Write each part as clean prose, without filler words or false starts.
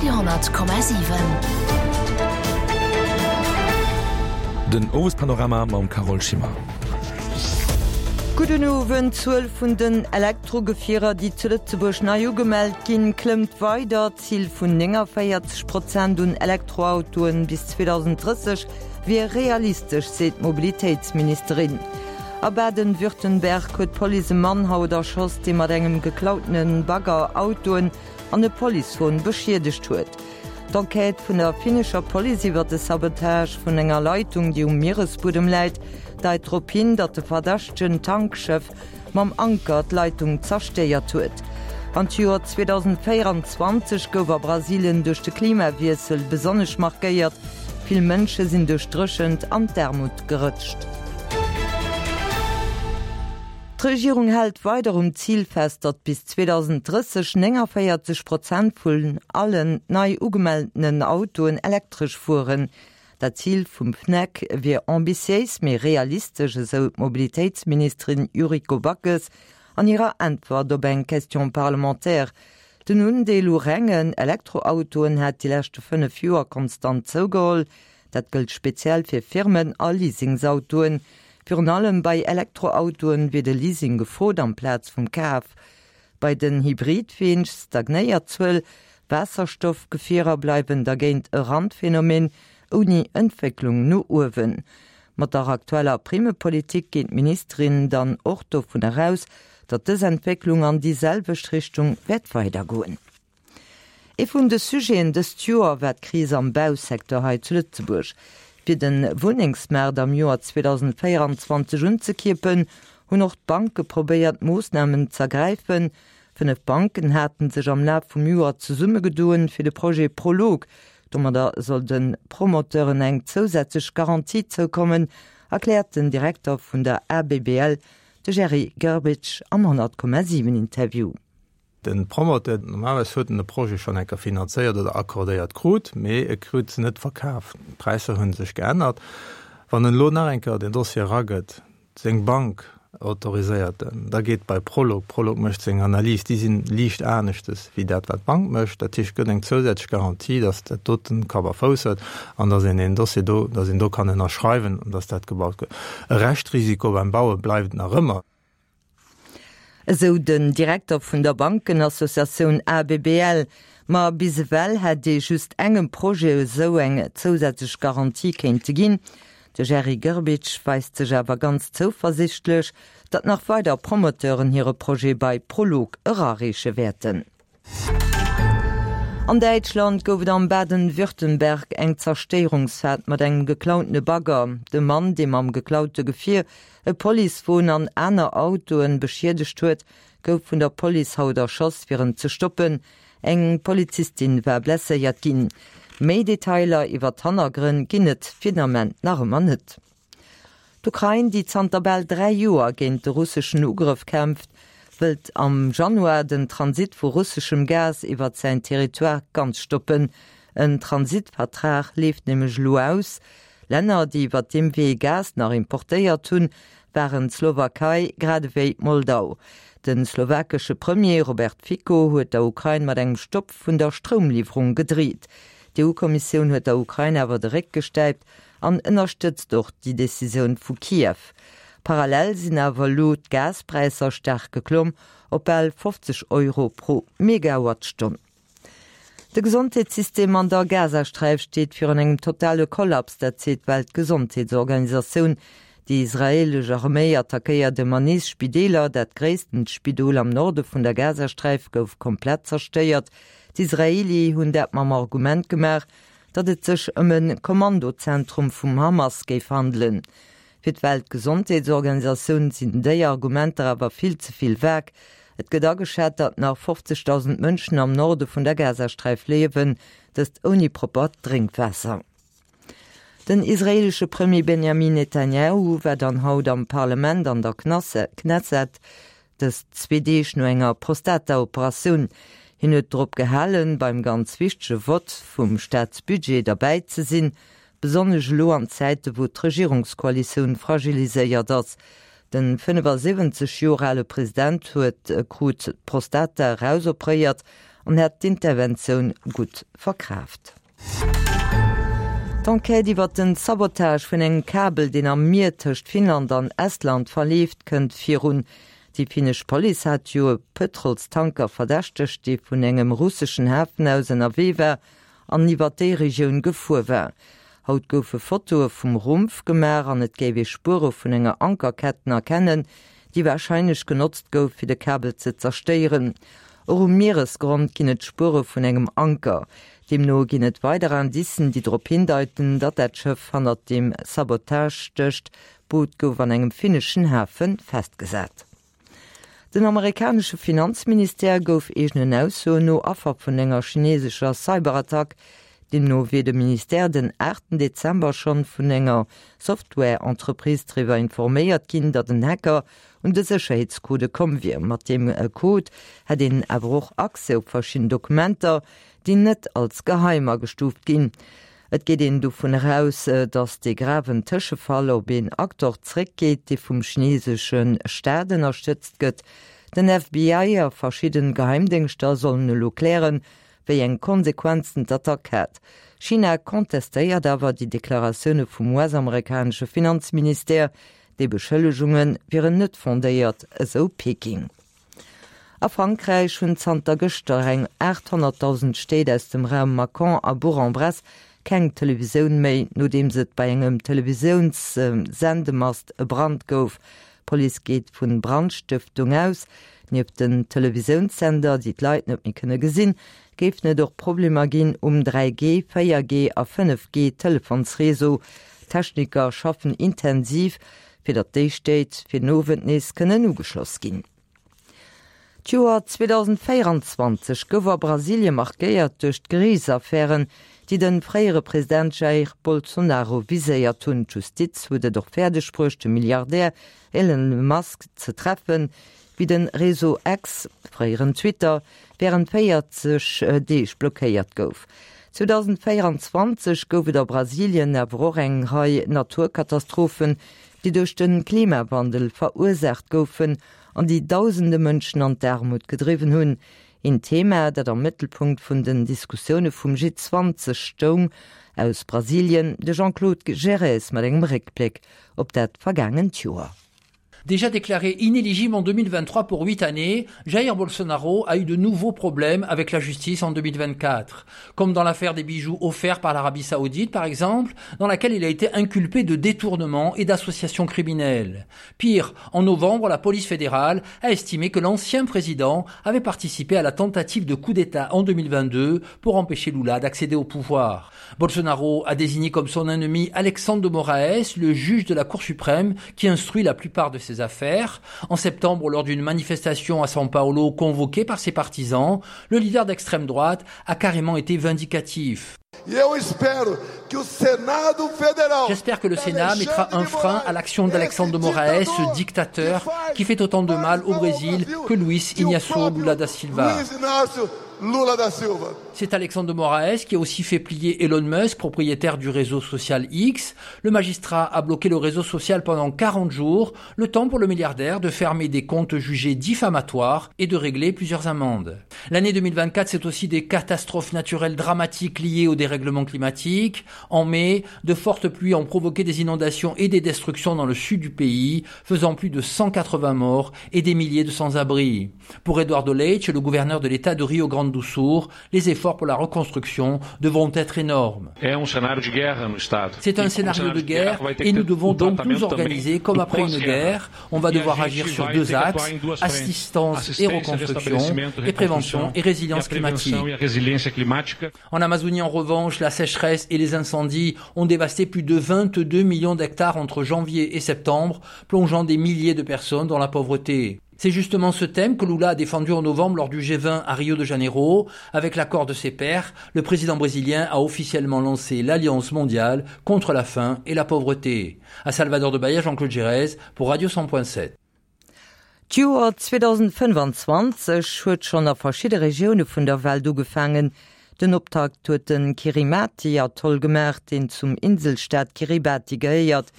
Radio,7. Den Owespanorama mam Carole Schimmer. Gudden Owend, D'Zuel vun den Elektrogefierer, déi zu Lëtzebuerg nei ugemellt ginn, klëmmt weider. D'Zil vun 49 Prozent un Elektroautoen bis 2030 wier realistesch, seet d'Mobilitéitsministerin. A Baden-Württemberg huet d'Police e Mann haut erschoss, dee mat engem geklautene Bagger Autoen an e Policewon beschiedegt huet. D'Enquête vun der finnescher Police iwwer de Sabotage vun enger Leitung, déi um Mieresbuedem läit, deit drop hin, datt de verdächtegen Tankschëff mam Anker d'Leitung zerstéiert huet. An d'Joer 2024 gouf a Brasilien duerch de Klimawiessel besonnesch markéiert, vill Mënsche sinn duerch d'Dréchent an d'Aarmut gerëtscht. D'Regierung hält weider um Zil fest, datt bis 2030 49 Prozent vun allen nei ugemeltenen Autoen elektresch fueren. Dat Zil vum FNEC wier ambitiéis, mee realistesch, esou d'Mobilitéitsministerin Yuriko Backes an hirer Äntwert op eng Question parlementaire. Den Undeel u rengen Elektroautoen hätt déi leschte 5 Joer konstant zougeholl. Dat gëllt speziell fir Firmen a Leasingsautoen. Virun allem bei Elektroautoen wier de Leasing gefrot amplaz vum Kaf. Bei den Hybridween stagnéiert d'Zuel, Waasserstoffgefierer bleiwen dergéint e Randphenomen ouni Entwécklung no uewen. Mat der aktueller Primmepolitik geet d'Ministerin dann och dovun eraus, datt dës Entwécklung an déi selwecht Richtung wäert weidergoen. Ee vun de Sujeten dëst Joer war d'Kris am Bausecteur hei zu Lëtzebuerg. Fir de Wunnengsmaart am Joer 2024 unzekierpen, hunn och d'Banke probéiert Moossnamen z'ergräifen. 5 Banken haten sech am Laf vum Joer zesummegedoen fir de Projet Prolog. Domadder soll de Promoteuren eng zousätzlech Garantie zoukommen, erkläert den Direkter vun der ABBL, de Jerry Grbic am 100,7 Interview. De Promoteur, normalerweis huet en e Projet schonn eng Kéier finanzéiert oder accordéiert krut, mee e krut se net verkaf. D'Präisser hu sech geännert. Wann en elo nach eng Kéier den Dossier eragëtt, seng Bank autoriséiert en, da geet bei Prolog, Prolog mécht seng Analys, déi si liicht aneschtes wéi dat wat d'Bank mécht. Dat heescht, et gëtt eng zousätzlech Garantie, datt dat doten Kapp a Fouss huet an datt een deen Dossier do, datt een do kann ënnerschreiwen an datt dat gebaut gëtt. E Reschtrisiko beim Baue bleift nach ëmmer. Esou den Direkter vun der Bankenassociatioun ABBL. Ma bis ewell hätt ee just engem Projet esou eng zousätzlech Garantie kéinte ginn. De Jerry Grbic weist sech awer ganz zouversichtlech, datt nach weider Promoteuren hire Projet bei Prolog erareeche wäerten. An Däitschland gouf et am Baden-Württemberg eng Zerstéierungsfahrt mat engem geklautene Bagger. De Mann, dee mam geklaute Gefier e Policewon an aner Autoen beschiedegt huet, gouf vun der Police haut erschoss, fir en ze stoppen. Eng Polizistin war blesséiert ginn. Méi Detailer iwwer d'Hannergrënn ginn et fir den Ament nach ëmmer net. D'Ukrain, déi zanter bal 3 Joer géint de russeschen Ugrëff kämpft, wëllt am Januar den Transit vu russeschem Gas iwwert säin Territoire ganz stoppen. En Transitvertrag leeft nämlech elo aus. Länner, déi iwwert deem Wee Gas nach importéiert hunn, waren d'Slowakei grad ewéi Moldau. De slowakesche Premier Robert Fico huet der Ukrain mat engem Stopp vun der Stroumliwwerung gedreet. D'EU-Kommissioun huet der Ukrain awer de Réck gestäipt an ënnerstëtzt och déi Decisioun vu Kiew. Parallel sinn awer elo d'Gaspräisser staark geklomm op bal 50 Euro pro Megawattstonn. De Gesondheetssystem an der Gazasträif steet virun engem totale Kollaps, dat seet d'Weltgesondheetsorganisatioun. Déi israeelesch Arméi attackéiert ëmmer nees Spideeler. Dat gréisstent Spidol am Norde vun der Gazasträif gouf komplett zerstéiert. D'Israeeli hunn dat mam Argument gemaach, datt et sech ëm e Kommandozentrum vum Hamas géif handelen. Fir d'Weltgesondheetsorganisatioun sinn déi Argumenter awer vill ze vill vag. Et gëtt ageschat, datt nach 50.000 Mënschen am Norde vun der Gazasträif liewen, dëst ouni proppert Drénkwaasser. Den israeelesche Premier Benjamin Netanjahu war dann haut am Parlament an der Knesset. Dëst zwee Deeg no enger Prostata-Operatioun. Hien huet drop gehalen, beim ganz wichtege Vott vum Staatsbudget derbäi ze sinn, besonnesch elo an Zäite wou d'Regierungskoalitioun fragiliséiert ass. De 75 Joer ale President huet krut d'Prostata erausopréiert. an hätt d'Interventioun gutt verkraaft. D'Enquête iwwert den Sabotage vun engem Kabel, deen am Mier tëscht Finnland an Estland verleeft, kënnt virun. Déi finnesch Police hat jo e Pëtrolstanker verdächtegt, dee vun engem russeschen Hafen aus ënnerwee war an iwwert déi Regioun gefuer war. Haut goufe Fotoe vum Rumpf gemaach an et géif ee Spuere vun enger Ankerketten erkennen, déi warscheinlech genotzt gouf, fir de Kabel ze zerstéieren. Och um Mieresgrond ginn et Spuere vun engem Anker. Deemno ginn et weider Indicen, déi drop hindeiten, datt dat Schëff hannert deem Sabotage stécht. D'Boot gouf an engem finneschen Hafe festgesat. Den amerikanesche Finanzministère gouf eegenen Aussoen no Affer vun enger chinesescher Cyberattack. Deemno wier de Ministère den aachten Dezember schonn vun enger Software-Entreprise driwwer informéiert ginn, datt en Hacker un de Sécherheetscodë komm wier. Mat deem Code hätt een awer och Accès op verschidden Dokumenter, déi net als geheim agestuuft ginn. Et geet een dovun eraus, datt dee graven Tëschefall op een Acteur zeréckgeet, dee vum chinesesche Staat ënnerstëtzt gëtt. Den FBI a verschidden Geheimdéngschter sollen elo klären, wéi eng Konsequenzen d'Attack hat. China contestéiert awer déi Deklaratioune vum US-amerikanesche Finanzministère. Déi Beschëllegunge wieren net fondéiert, esou Peking. A Frankräich hunn zanter gëschter eng 800.000 Stéit aus dem Raum Mâcon a Bourg-en-Bresse keng Televisioun méi, nodeems et bei engem Televisiounssendemast e Brand gouf. D'Police geet vu Brandstëftung aus. Nieft den Televisiounssender, déi d'Leit net méi kënne gesinn, géifen et och Problemer ginn um 3G, 4G a 5G Telefonsreseau. D'Techniker schaffen intensiv, fir datt déi Stéit fir den Owend nees kënnen ugeschloss ginn. D'Joer 2024 gouf a Brasilie markéiert duerch d'Geriichtsaffären, déi de fréiere President Jair Bolsonaro viséiert hunn. D'Justiz huet et och fäerdeg bruecht, de Milliardär Elon Musk ze treffen, wéi de Réseau X, fréieren Twitter, wärend 40 Deeg blockéiert gouf. 2024 gouf et a Brasilien awer och eng Rei Naturkatastrophen, déi duerch de Klimawandel verursaacht goufen an déi dausende Mënschen an d'Aarmut gedriwwen hunn. Een Thema, dat am Mëttelpunkt vun den Diskussioune vum G20 stoung. Aus Brasilien de Jean-Claude Gerez mat engem Réckbléck op dat vergaangent Joer. Déjà déclaré inéligible en 2023 pour huit années, Jair Bolsonaro a eu de nouveaux problèmes avec la justice en 2024, comme dans l'affaire des bijoux offerts par l'Arabie saoudite par exemple, dans laquelle il a été inculpé de détournement et d'association criminelle. Pire, en novembre, la police fédérale a estimé que l'ancien président avait participé à la tentative de coup d'état en 2022 pour empêcher Lula d'accéder au pouvoir. Bolsonaro a désigné comme son ennemi Alexandre de Moraes, le juge de la Cour suprême qui instruit la plupart de ses affaires. En septembre, lors d'une manifestation à São Paulo convoquée par ses partisans, le leader d'extrême droite a carrément été vindicatif. J'espère que le Sénat mettra un frein à l'action d'Alexandre de Moraes, ce dictateur qui fait autant de mal au Brésil que Luis Ignacio Lula da Silva. Lula da Silva. C'est Alexandre de Moraes qui a aussi fait plier Elon Musk, propriétaire du réseau social X. Le magistrat a bloqué le réseau social pendant 40 jours, le temps pour le milliardaire de fermer des comptes jugés diffamatoires et de régler plusieurs amendes. L'année 2024, c'est aussi des catastrophes naturelles dramatiques liées au dérèglement climatique. En mai, de fortes pluies ont provoqué des inondations et des destructions dans le sud du pays, faisant plus de 180 morts et des milliers de sans-abri. Pour Eduardo Leite, le gouverneur de l'état de Rio Grande do Sul, les efforts pour la reconstruction devront être énormes. C'est un scénario de guerre et nous devons donc nous organiser comme après une guerre. On va devoir agir sur deux axes, assistance et reconstruction, et prévention et résilience climatique. En Amazonie, en revanche, la sécheresse et les incendies ont dévasté plus de 22 millions d'hectares entre janvier et septembre, plongeant des milliers de personnes dans la pauvreté. C'est justement ce thème que Lula a défendu en novembre lors du G20 à Rio de Janeiro. Avec l'accord de ses pairs, le président brésilien a officiellement lancé l'Alliance mondiale contre la faim et la pauvreté. À Salvador de Bahia, Jean-Claude Gérez pour Radio 100.7. D'Joer 2025 huet schonn a verschidde Regioune vun der Welt ugefaangen. Den Optakt huet de Kirimati-Atoll gemaach, deen zum Inselstaat Kiribati gehéiert.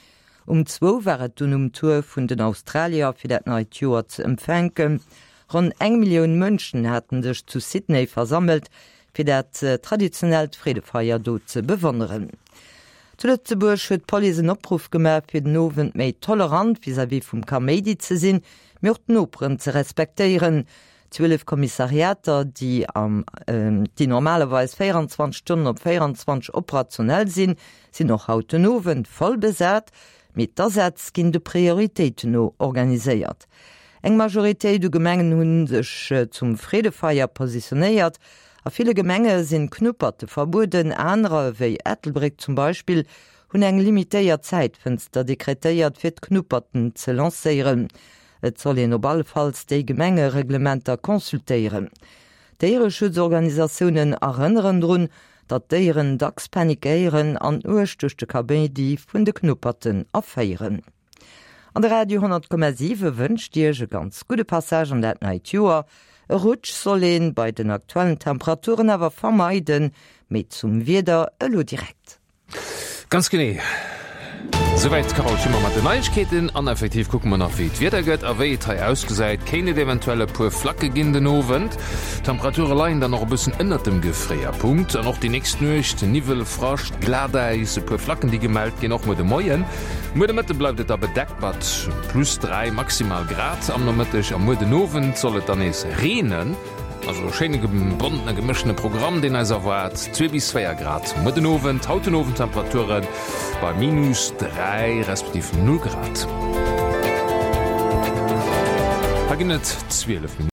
Um zwou war et dunn um Tour vun den Australier fir dat neit Joer ze empfänken. Ronn eng Millioun Mënschen haten sech zu Sydney versammelt, fir dat traditionellt Freedefeier do ze bewonneren. Zu Lëtzebuerg huet d'Police en Opruff gemaach, fir den Owend méi tolerant vis-à-vis vum Kaméidi ze sinn, mee och d'Noperen ze respektéieren. 12 Kommissariater, déi am déi normalerweis 24 Stonnen op 24 operationell sinn, sinn och haut den Owend voll besat, mee d'Asätz ginn de Prioritéiten no organiséiert. Eng Majoritéit u Gemengen hu sech zum Freedefeier positionéiert. A ville Gemenge sinn Knupperte verbueden, anerer, ewéi Ettelbréck zum Beispill, hunn eng limitéiert Zäitfënster dekretéiert, fir d'Knupperten ze lancéieren. Et soll een op allefalls déi Gemengereglementer consultéieren. Déiereschutzorganisatiounen erënneren drun, datt d'Déieren dacks panikéieren an uerg duerch de Kaméidi vun de Knupperten erféieren. An de Radio 10,7 wënscht Iech e ganz gudde Passage an dat neit Joer. E Rutsch soll een bei den aktuellen Temperaturen awer vermeiden. Méi zum Wieder elo direkt. Ganz genee. Souwäit d'Carole Schimmer mat den Neiegkeeten. An effektiv kucke mer nach wéi d'Wieder gëtt a wéi et hei ausgesäit. Kéint et eventuell e puer Flacke ginn den Owend. D'Temperature leien dann och e bëssen ënnert dem Gefréierpunkt. An och déi nächst Nuecht Niwwel, Frascht, Glatäis, e puer Flacken déi gemellt ginn, och muer de Moien. Muer de Mëtte bleift et da bedeckt mat plus 3 maximal Grad am Nomëtteg a muer den Owend soll et dann nees reenen. Also e schéine bonten a gemëschtene Programm, deen eis erwaart. 2 bis 4 Grad muer den Owend, haut den Owend Temperature bei minus 3 respektiv 0 Grad. Hei ginn et 12 Minutten.